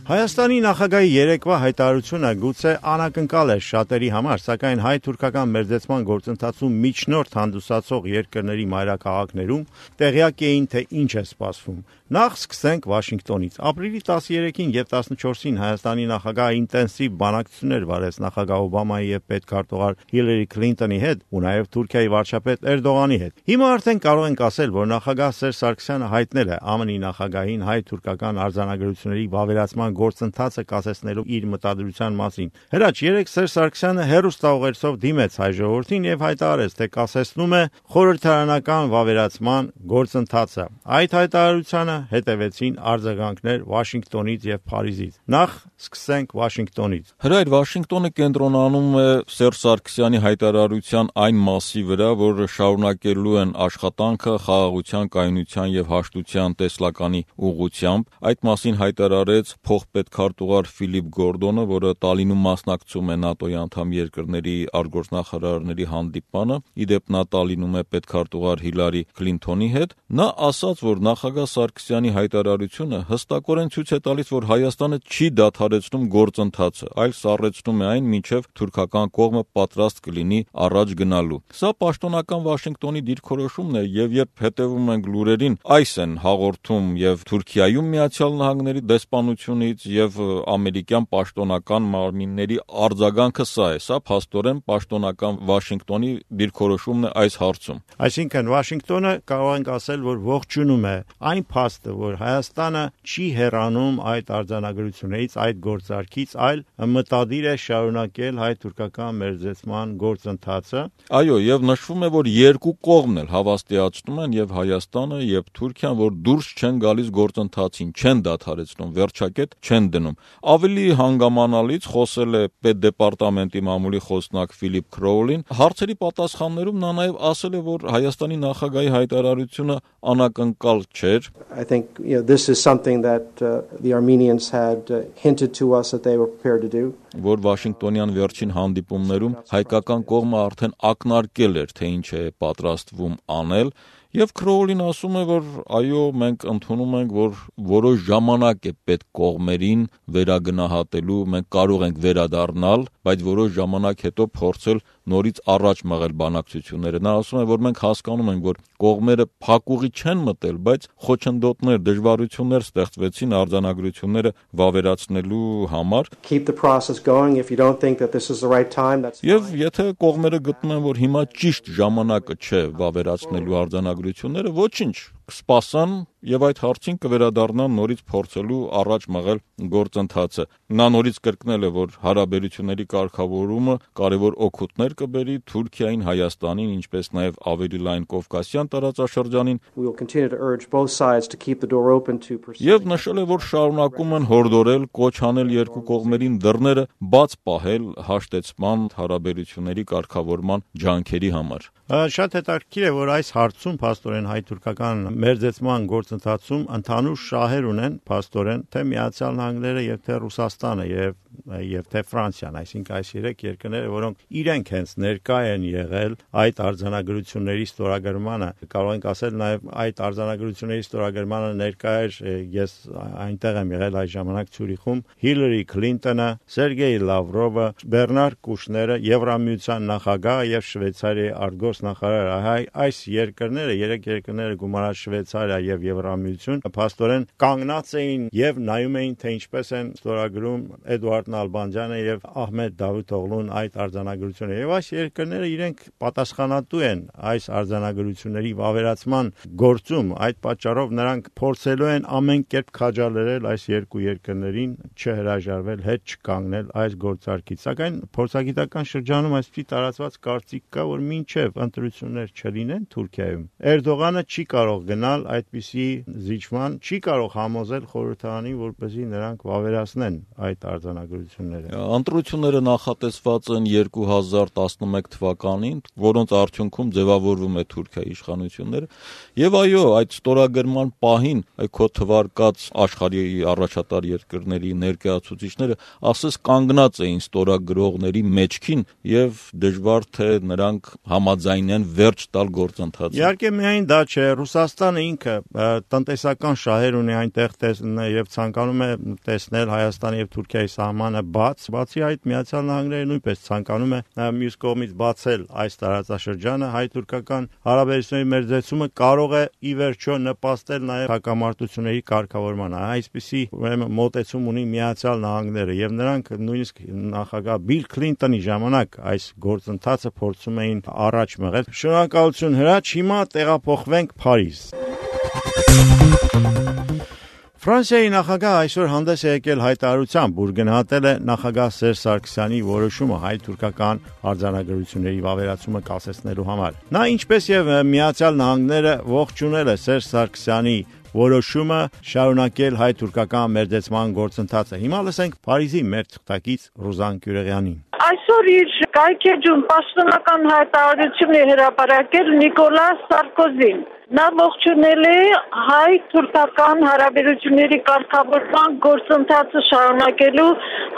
Հայաստանի նախագահի երեկվա հայտարարությունը գուցե անակնկալ էր շատերի համար, սակայն հայ-թուրքական մերձեցման գործընթացում միջնորդ հանդիսացող երկրների մայրաքաղաքներում տեղյակ էին, թե ինչ է սպասվում։ Նախ սկսենք Վաշինգտոնից։ Ապրիլի 13-ին եւ 14-ին Հայաստանի նախագահը ինտենսիվ բանակցություններ վարեց նախագահ Օբամայի եւ պետքարտուղար Հիլարի Քլինտոնի հետ ու նաեւ Թուրքիայի վարչապետ Էրդողանի հետ։ Հիմա արդեն կարող ենք ասել, որ նախագահ Սերժ Սարգսյանը հայտնել է ԱՄՆ-ի նախագահին հայ-թուրքական արձանագրությունների վավերացման գործընթացը կասեցնելու իր մտադրության մասին։ Հրաչ երեք Սերժ Սարգսյանը հեռուստաուղերձով դիմեց հայ ժողովրդին եւ հայտարարեց, թե կասեցնում է խորհրդարանական վավերացման գործընթացը։ Այդ հայտարարությանը հետևեցին արձագանքներ Վաշինգտոնից եւ Փարիզից։ Նախ սկսենք Վաշինգտոնից։ Հրայր Վաշինգտոնը կենտրոնանում է Սերժ Սարգսյանի հայտարարության այն մասի վրա, որ շարունակելու են աշխատանքը խաղաղության, կայունության եւ հաշտության տեսլականի ուղղությամբ։ Այդ մասին հայտարարեց փոխպետքարտուղար Ֆիլիպ Գորդոնը, որը Տալինում մասնակցում է ՆԱՏՕ-ի անդամ երկրների արտգործնախարարների հանդիպմանը։ Իդեպ նա Տալինում է պետքարտուղար Հիլարի Քլինթոնի հետ։ Նա ասաց, որ նախագահ Սարգսյանի հայտարարությունը հստակորեն ցույց է տալիս, որ Հայաստանը չի դադարեցնում գործընթացը, այլ սառեցնում է այն, մինչև թուրքական կողմը պատրաստ կլինի առաջ գնալու։ Սա պաշտոնական Վաշինգտոնի դիրքորոշումն է, եւ երբ հետևում ենք լուրերին, այս են հաղորդում եւ Թուրքիայում Միացյալ Նահանգների դեսպանությունից եւ ամերիկյան պաշտոնական մարմինների արձագանքը սա է։ Սա փաստորեն պաշտոնական Վաշինգտոնի դիրքորոշումն է այս հարցում։ Այսինքն Վաշինգտոնը կարող ենք ասել, որ ողջունում է այն փաստը, որ Հայաստանը չի հեռանում այդ արձանագրություններից, այդ գործարքից, այլ մտադիր է շարունակել հայ-թուրքական մերձեցման գործընթացը։ Այո, եւ նշվում է, որ երկու կողմն էլ հավաստիացնում են, եւ Հայաստանը եւ Թուրքիան, որ դուրս չեն գալիս գործընթացին, չեն դադարեցնում, վերջակետ չեն դնում։ Ավելի հանգամանալից խոսել է պետդեպարտամենտի մամուլի խոսնակ Ֆիլիպ Քրոուլին։ Հարցերի պատասխաններում նա նաեւ ասել է, որ Հայաստանի նախագահի հայտարարությունը անակնկալ չէր։ I think this is something that the Armenians had hinted to us that they were prepared to do. Որ Վաշինգտոնյան վերջին հանդիպումներում հայկական կողմը արդեն ակնարկել էր, թե ինչ է պատրաստվում անել, եւ Քրոուլին ասում է, որ այո, մենք ընդունում ենք, որ որոշ ժամանակ է պետք կողմերին վերագնահատելու, մենք կարող ենք վերադառնալ, բայց որոշ ժամանակ հետո փորձել նորից առաջ մղել բանակցությունները։ Նա ասում է, որ մենք հասկանում ենք, որ կողմերը փակուղի չեն մտել, բայց խոչընդոտներ, դժվարություններ ստեղծվեցին արձանագրությունները վավերացնելու համար։ Keep the process going if you don't think that this is the right time, that's fine. Եվ եթե կողմերը գտնում են, որ հիմա ճիշտ ժամանակը չէ վավերացնելու արձանագրությունները, ոչինչ, կսպասան եւ այդ հարցին կվերադառնան նորից փորձելու առաջ մղել գործընթացը։ Նա նորից կրկնել է, որ հարաբերությունների կարգավորումը կարևոր օգուտներ կբերի Թուրքիային, Հայաստանին, ինչպես նաեւ ավելի լայն Կովկասյան տարածաշրջանին։ We will continue to urge both sides to keep the door open to pursue. Եվ նշել է, որ շարունակում են հորդորել, կոչ անել երկու կողմերին դռները բաց պահել հաշտեցման հարաբերությունների կարգավորման ջանքերի համար։ Շատ հետաքրքիր է, որ այս հարցում փաստորեն հայ-թուրքական մերձեցման գործընթացում ընդհանուր շահեր ունեն փաստորեն թե Միացյալ Նահանգները եւ թե Ռուսաստանը եւ թե Ֆրանսիան, այսինքն այս երեք երկրները, որոնք իրենք հենց ներկա են եղել այդ արձանագրությունների ստորագրմանը։ Կարող ենք ասել նաեւ այդ արձանագրությունների ստորագրմանը ներկա էր, ես այնտեղ եմ եղել այդ ժամանակ Ցյուրիխում, Հիլարի Քլինտոնը, Սերգեյ Լավրովը, Բեռնար Կուշները, Եվրամիության նախագահը եւ Շվեյցարիայի արտգործնախարարը։ Այս երկրները, երեք երկրները գումարած Շվեյցարիա եւ Եվրամիություն, փաստորեն կանգնած էին եւ նայում էին, թե ինչպես են ստորագրում Էդուարդ Նալբանդյանը եւ Ահմեդ Դավութօղլուն այդ արձանագրությունը։ Եվ այս երկրները իրենք պատասխանատու են այս արձանագրությունների վավերացման գործում։ Այդ պատճառով նրանք փորձելու են ամեն կերպ քաջալերել այս երկու երկրներին չհրաժարվել, հետ չկանգնել այս գործարքից։ Սակայն փորձագիտական շրջանում այսպիսի տարածված կարծիք կա, որ մինչև ընտրություններ չլինեն Թուրքիայում, Էրդողանը չի կարող գնալ այդպիսի զիջման, չի կարող համոզել խորհրդարանին, որպեսզի նրանք վավերացնեն այդ արձանագրությունները։ Ընտրությունները նախատեսված են 2011 թվականին, որոնց արդյունքում ձևավորվում է Թուրքիայի իշխանությունները, եւ այո, այդ ստորագրման պահին քո թվարկած աշխարհի առաջատար երկրների ներկայացուցիչները ասես կանգնած էին ստորագրողների մեջքին եւ դժվար թե նրանք համաձայնեն վերջ տալ գործընթացին։ Իհարկե միայն դա չէ, Ռուսաստանը ինքը տնտեսական շահեր ունի այնտեղ եւ ցանկանում է տեսնել Հայաստանի եւ Թուրքիայի սահմանը բաց, բացի այդ Միացյալ Նահանգները նույնպես ցանկանում է մյուս կողմից բացել այս տարածաշրջանը, հայ-թուրքական հարաբերությունների մերձեցումը կարող է ի վերջո նպաստել նաեւ հակամարտությունների կարգավորմանը։ Այսպիսի ուրեմն մոտեցում ունի Միացյալ Նահանգները եւ նրանք նույնիսկ նախագահ Բիլ Քլինտոնի ժամանակ այս գործընթացը փորձում էին առաջ մղել։ Շնորհակալություն Հրաչ, հիմա տեղափոխվենք Փարիզ։ Ֆրանսիայի նախագահ այսօր հանդես է եկել հայտարարությամբ, որ գնահատել է նախագահ Սերժ Սարգսյանի որոշումը հայ-թուրքական արձանագրությունների վավերացումը կասեցնելու համար։ Նա ինչպես եւ Միացյալ Նահանգները ողջունել է Սերժ Սարգսյանի որոշումը շարունակել հայ-թուրքական մերձեցման գործընթացը։ Հիմա լսենք Փարիզի մեր թղթակից Ռուզան Կյուրեղյանին։ Այսօր իր կայքեջում պաշտոնական հայտարարություն է հրապարակել Նիկոլաս Սարկոզին։ Նա ողջունել է հայ-թուրքական հարաբերությունների կարգավորման գործընթացը շարունակելու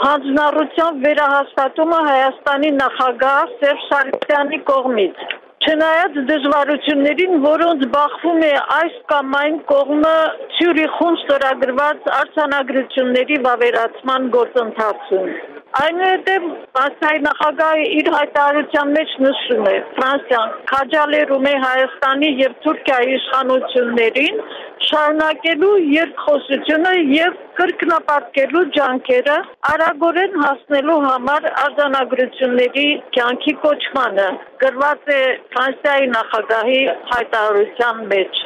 հանձնառության վերահաստատումը Հայաստանի նախագահ Սերժ Սարգսյանի կողմից։ Չնայած դժվարություններին, որոնց բախվում է այս կամ այն կողմը Ցյուրիխում ստորագրված արձանագրությունների վավերացման գործընթացում։ Այնուհետև Ֆրանսիայի նախագահը իր հայտարարության մեջ նշում է. Ֆրանսիան քաջալերում է Հայաստանի եւ Թուրքիայի իշխանություններին շարունակելու երկխոսությունը եւ կրկնապատկելու ջանքերը արագորեն հասնելու համար արձանագրությունների կյանքի կոչմանը, գրված է Ֆրանսիայի նախագահի հայտարարության մեջ։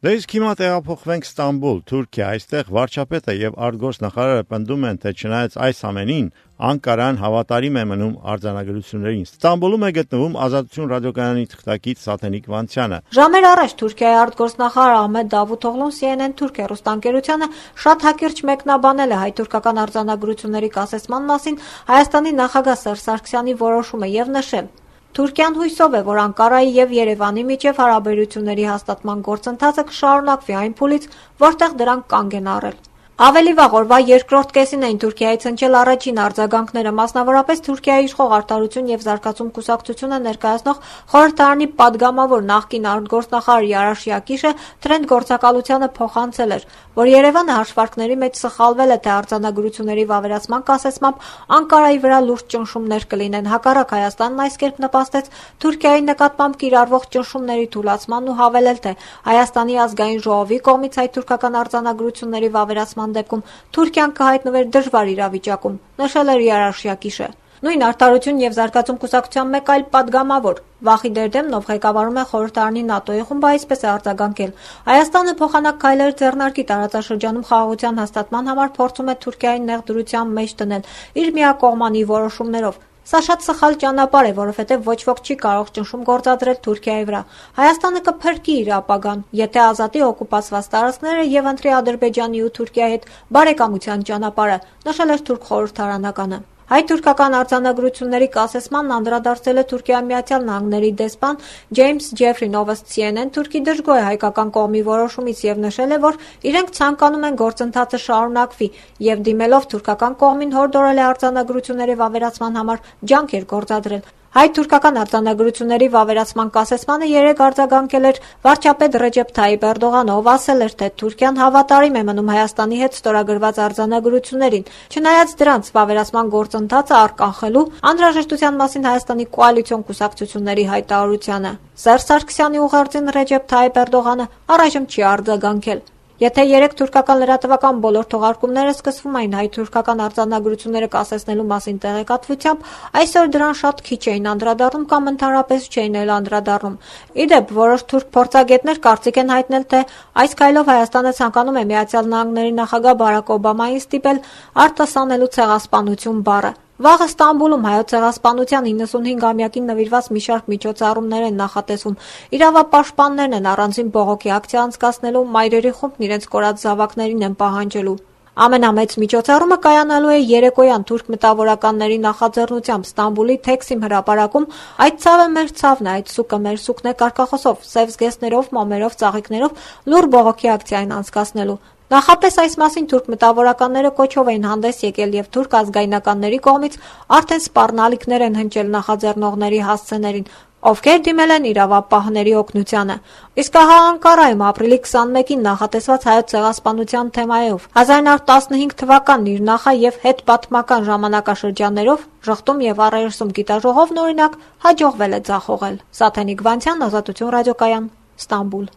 Դե իսկ հիմա տեղափոխվենք Ստամբուլ, Թուրքիա, այստեղ վարչապետը եւ արտգործնախարարը պնդում են, թե չնայած այս ամենին, Անկարան հավատարիմ է մնում արձանագրություններին։ Ստամբուլում է գտնվում Ազատություն ռադիոկայանի թղթակից Սաթենիկ Վանցյանը։ Ժամեր առաջ Թուրքիայի արտգործնախարար Ահմեդ Դավութօղլուն CNN Թուրք հեռուստաընկերությանը շատ հակիրճ մեկնաբանել է հայ-թուրքական արձանագրությունների կասեցման մասին Հայաստանի նախագահ Սերժ Սարգսյանի որոշումը եւ նշել. Թուրքիան հույսով է, որ Անկարայի եւ Երևանի միջև հարաբերությունների հաստատման գործընթացը կշարունակվի այն փուլից, որտեղ դրանք կանգ են առել։ Ավելի վաղ օրվա երկրորդ կեսին էին Թուրքիայից հնչել առաջին արձագանքները, մասնավորապես Թուրքիայի իշխող Արտարություն եւ Զարգացում կուսակցությունը ներկայացնող խորհրդարանի падգամավոր նախկին արտգործնախարար Յարաշ Յակիշը Թրենդ գործակալությանը փոխանցել էր, որ Երևանը հաշվարկների մեջ սխալվել է, թե արձանագրությունների վավերացման կասեցմամբ Անկարայի վրա լուրջ ճնշումներ կլինեն։ Հակառակ Հայաստանն այս կերպ նպաստեց Թուրքիայի նկատմամբ կիրառվող ճնշումների թուլացմանն ու հավելել, թե Հայաստանի ազգային ժողովի կողմից հայ-թուրքական արձանագրությունների վավերացման դեպքում Թուրքիան կհայտնվեր դժվար իրավիճակում, նշել էր Յարաշ Յակիշը։ Նույն Արտարություն եւ Զարգացում կուսակցության մեկ այլ падգամավոր Վախիդ Էրդեմնով ղեկավարում է խորհրդարանի ՆԱՏՕ-ի խումբը, այսպես է արձագանքել. Հայաստանը փոխանակ քայլեր ձեռնարկի տարածաշրջանում խաղաղության հաստատման համար փորձում է Թուրքիային նեղդրության մեջ դնել իր միակողմանի որոշումներով։ Սա շատ սխալ ճանապարհ է, որովհետև ոչ ոք չի կարող ճնշում գործադրել Թուրքիայի վրա։ Հայաստանը կփրկի իր ապագան, եթե ազատի օկուպացված տարածքները եւ ընտրի Ադրբեջանի ու Թուրքիայի հետ բարեկամության ճանապարհը, նշել էր թուրք խորհրդարանականը։ Հայ-թուրքական արձանագրությունների կասեցմանն անդրադարձել է Թուրքիայի Միացյալ Նահանգների դեսպան Ջեյմս Ջեֆրին, ով CNN Թուրքի դժգոհ է հայկական կողմի որոշումից եւ նշել է, որ իրենք ցանկանում են գործընթացը շարունակվի եւ դիմելով թուրքական կողմին հորդորել է արձանագրությունների վավերացման համար ջանքեր գործադրել։ Հայ-թուրքական արձանագրությունների վավերացման կասեցմանը երեկ արձագանքել էր վարչապետ Ռեջեփ Թայիպ Էրդողանը, ով ասել էր, թե Թուրքիան հավատարիմ է մնում Հայաստանի հետ ստորագրված արձանագրություններին, չնայած դրանց վավերացման գործընթացը առկանխելու անհրաժեշտության մասին Հայաստանի կոալիցիոն կուսակցությունների հայտարարությանը։ Սերժ Սարգսյանի ուղերձին Ռեջեփ Թայիպ Էրդողանը առայժմ չի արձագանքել։ Եթե երեք թուրքական լրատվական բոլոր թողարկումները սկսվում էին հայ-թուրքական արձանագրությունները կասեցնելու մասին տեղեկատվությամբ, այսօր դրան շատ քիչ էին անդրադառնում կամ ընդհանրապես չէին էլ անդրադառնում։ Իդեպ, որոշ թուրք փորձագետներ կարծիք են հայտնել, թե այս քայլով Հայաստանը ցանկանում է Միացյալ Նահանգների նախագահ Բարակ Օբամային ստիպել արտասանելու ցեղասպանություն բառը։ Վաղ Ստամբուլում հայոց ցեղասպանության 95-ամյակին նվիրված մի շարք միջոցառումներ են նախատեսվում։ Իրավապաշտպաններն են առանձին բողոքի ակցիա անցկացնելու, մայրերի խումբն իրենց կորած զավակներին են պահանջելու։ Ամենամեծ միջոցառումը կայանալու է երեկոյան թուրք մտավորականների նախաձեռնությամբ Ստամբուլի Թեքսիմ հրապարակում։ Այդ ցավը մեր ցավն է, այդ սուկը մեր սուկն է կարգախոսով, սև զգեստներով, մոմերով, ծաղիկներով լուր բողոքի ակցիա են անցկացնելու։ Նախապես այս մասին թուրք մտավորականները կոչով էին հանդես եկել եւ թուրք ազգայնականների կողմից արդեն սպառնալիքներ են հնչել նախաձեռնողների հասցեներին։ ովքեր դիմել են իրավապահների օգնությանը։ Իսկ ահա Անկարայում ապրիլի 21-ին նախատեսված հայոց ցեղասպանության թեմայով 1915 թվականն իր նախա եւ հետպատմական ժամանակաշրջաններով ժխտում եւ առերեսում գիտաժողովն օրինակ հաջողվել է ձախողել։ Սաթենիկ Վանցյան, Ազատություն ռադիոկայան, Ստամբուլ։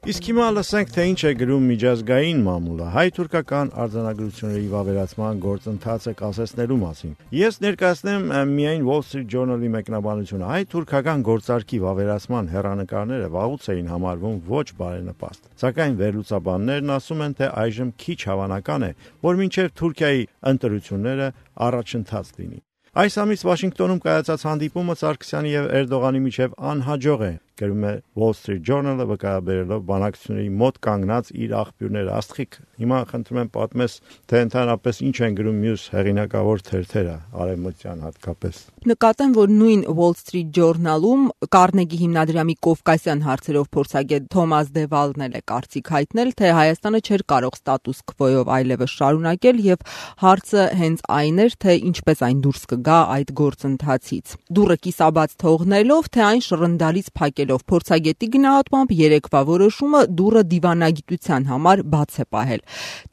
Իսկ հիմա լսենք, թե ինչ է գրում միջազգային մամուլը հայ-թուրքական արձանագրությունների վավերացման գործընթացը կասեցնելու մասին։ Ես ներկայացնեմ միայն Wall Street Journal-ի մեկնաբանությունը։ Հայ-թուրքական գործարքի վավերացման հեռանկարները վաղուց էին համարվում ոչ բարենպաստ։ Սակայն վերլուծաբաններն ասում են, թե այժմ քիչ հավանական է, որ մինչև Թուրքիայի ընտրությունները առաջընթաց լինի։ Այս ամիս Վաշինգտոնում կայացած հանդիպումը Սարգսյանի եւ Էրդողանի միջև անհաջող է, գրում է Wall Street Journal-ը վկայաբերելով բանակցությունների մոտ կանգնած իր աղբյուրները։ Աստղիկ, հիմա խնդրում եմ պատմես, թե ընդհանրապես ինչ են գրում մյուս հեղինակավոր թերթերը, արևմտյան հատկապես։ Նկատեմ, որ նույն Wall Street Journal-ում Կարնեգի հիմնադրամի կովկասյան հարցերով փորձագետ Թոմաս Դևալն է կարծիք հայտնել, թե Հայաստանը չէր կարող ստատուս քվոյով այլևս շարունակել եւ հարցը հենց այն էր, թե ինչպես այն դուրս կգա այդ գործընթացից։ Դուռը կիսաբաց թողնելով, թե այն շռնդալից փակելով, փորձագետի գնահատմամբ երեկվա որոշումը դուռը դիվանագիտության համար բաց է պահել։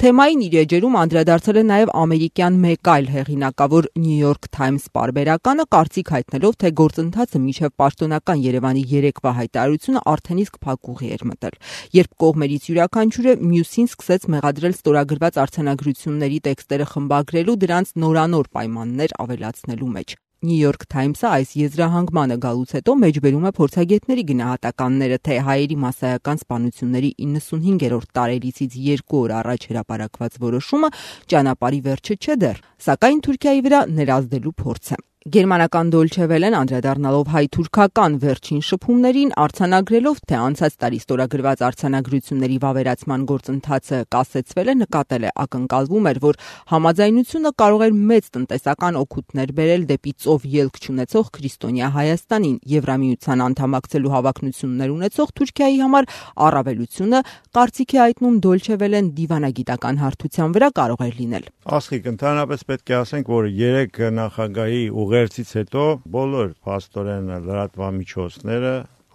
Թեմային իր էջերում անդրադարձել է նաև ամերիկյան մեկ այլ հեղինակավոր New York Times պարբերականը, կարծիք հայտնելով, թե գործընթացը մինչև պաշտոնական Երևանի երեկվա հայտարարությունը արդեն իսկ փակուղի էր մտել։ Երբ կողմերից յուրաքանչյուրը մյուսին սկսեց մեղադրել ստորագրված արձանագրությունների տեքստերը խմբագրելու, դրանց նորանոր պայմաններ ավելացնելու մեջ։ New York Times-ը այս եզրահանգմանը գալուց հետո մեջբերում է փորձագետների գնահատականները, թե հայերի մասսայական սպանությունների 95-րդ տարելիցից 2 օր առաջ հրապարակված որոշումը ճանապարհի վերջը չէ դեռ, սակայն Թուրքիայի վրա ներազդելու փորձ է։ Գերմանական Դոլչե Վելեն անդրադառնալով հայ-թուրքական վերջին շփումներին արձանագրելով, թե անցած տարի ստորագրված արձանագրությունների վավերացման գործընթացը կասեցվել է, նկատել է, ակնկալվում էր, որ համաձայնությունը կարող էր մեծ տնտեսական օգուտներ բերել դեպի ծով ելք չունեցող քրիստոնյա Հայաստանին, Եվրամիության անդամակցելու հավակնություններ ունեցող Թուրքիայի համար առավելությունը, կարծիք է հայտնում Դոլչե Վելեն, դիվանագիտական հարթության վրա կարող էր լինել։ Աստղիկ, ընդհանրապես պետք է ասենք, որ 3 նախագահի ուղերձից հետո բոլոր փաստորեն լրատվամիջոցները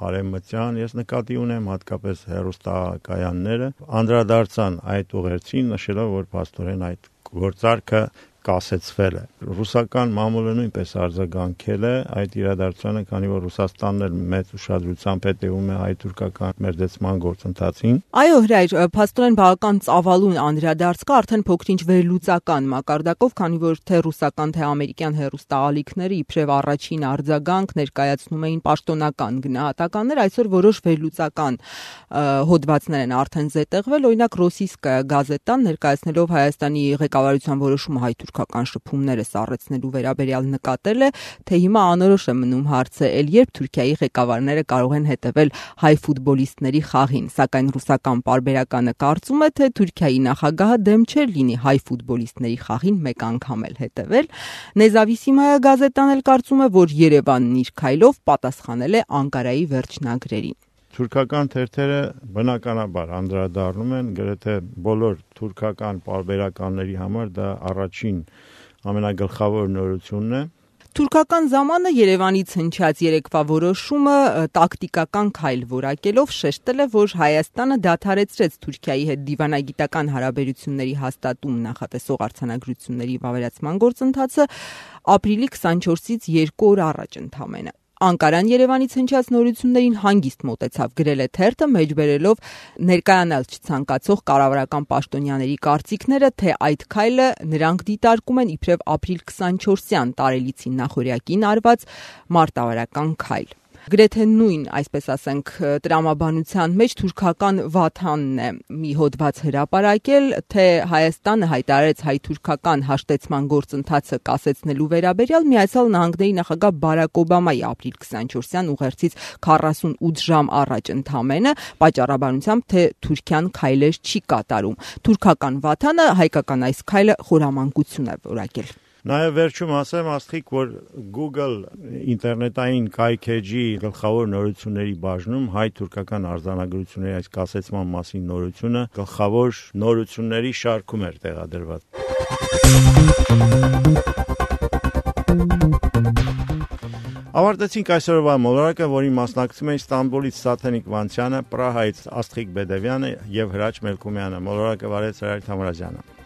արևմտյան, ես նկատի ունեմ հատկապես հեռուստակայանները, անդրադարձան այդ ուղերձին, նշելով, որ փաստորեն այդ գործարքը կասեցվել է։ Ռուսական մամուլը նույնպես արձագանքել է այդ իրադարձությանը, քանի որ Ռուսաստանն էլ մեծ ուշադրությամբ հետևում է հայ-թուրքական մերձեցման գործընթացին։ Այո, հրայր, փաստորեն բավական ծավալուն անդրադարձ կա, արդեն փոքրինչ վերլուծական մակարդակով, քանի որ թե ռուսական, թե ամերիկյան հեռուստաալիքները իբրև առաջին արձագանք ներկայացնում էին պաշտոնական գնահատականներ, այսօր որոշ վերլուծական հոդվածներ են արդեն զետեղվել, օրինակ Ռոսիյսկայա գազետան ներկայացնելով Հայաստանի ղեկավարության որոշումը հայ-թուրքական շփումները սառեցնելու վերաբերյալ նկատել է, թե հիմա անորոշ է մնում հարցը, ել երբ Թուրքիայի ղեկավարները կարող են հետևել հայ ֆուտբոլիստների խաղին, սակայն ռուսական պարբերականը կարծում է, թե Թուրքիայի նախագահը դեմ չէր լինի հայ ֆուտբոլիստների խաղին մեկ անգամ էլ հետևել։ Նեզավիսիմայա գազետան էլ կարծում է, որ Երևանն իր քայլով պատասխանել է Անկարայի վերջնագրերին։ Թուրքական թերթերը բնականաբար անդրադառնում են գրեթե բոլոր թուրքական պարբերականների համար դա առաջին ամենագլխավոր նորությունն է։ Թուրքական զամանը Երևանից հնչած երեկվա որոշումը տակտիկական քայլ որակելով շեշտել է, որ Հայաստանը դադարեցրեց Թուրքիայի հետ դիվանագիտական հարաբերությունների հաստատում նախատեսող արձանագրությունների վավերացման գործընթացը ապրիլի 24-ից 2 օր առաջ ընդամենը։ Անկարան Երևանից հնչած նորություններին հանգիստ մոտեցավ, գրել է թերթը, մեջբերելով ներկայանալ չցանկացող կառավարական պաշտոնյաների կարծիքները, թե այդ քայլը նրանք դիտարկում են իբրև ապրիլ 24-յան տարելիցին նախօրյակին արված մարտավարական քայլ։ Գրեթե նույն, այսպես ասենք, տրամաբանության մեջ թուրքական Վաթանն է մի հոդված հրապարակել, թե Հայաստանը հայտարարեց հայ-թուրքական հաշտեցման գործընթացը կասեցնելու վերաբերյալ Միացյալ Նահանգների նախագահ Բարակ Օբամայի ապրիլ 24-յան ուղերձից 48 ժամ առաջ ընդամենը, պատճառաբանությամբ, թե Թուրքիան քայլեր չի կատարում։ Թուրքական Վաթանը հայկական այս քայլը խորամանկություն է որակել։ Նաև վերջում ասեմ, Աստղիկ, որ Google ինտերնետային կայքեջի գլխավոր նորությունների բաժնում հայ-թուրքական արձանագրությունների այս կասեցման մասին նորությունը գլխավոր նորությունների շարքում էր տեղադրված։ Ավարտեցինք այսօրվա մոլորակը, որին մասնակցում էին Ստամբուլից Սաթենիկ Վանչյանը, Պրահայից Աստղիկ Բեդևյանը եւ Հրաչ Մելքումյանը։ Մոլորակը վարեց Հրայր Թամրազյանը։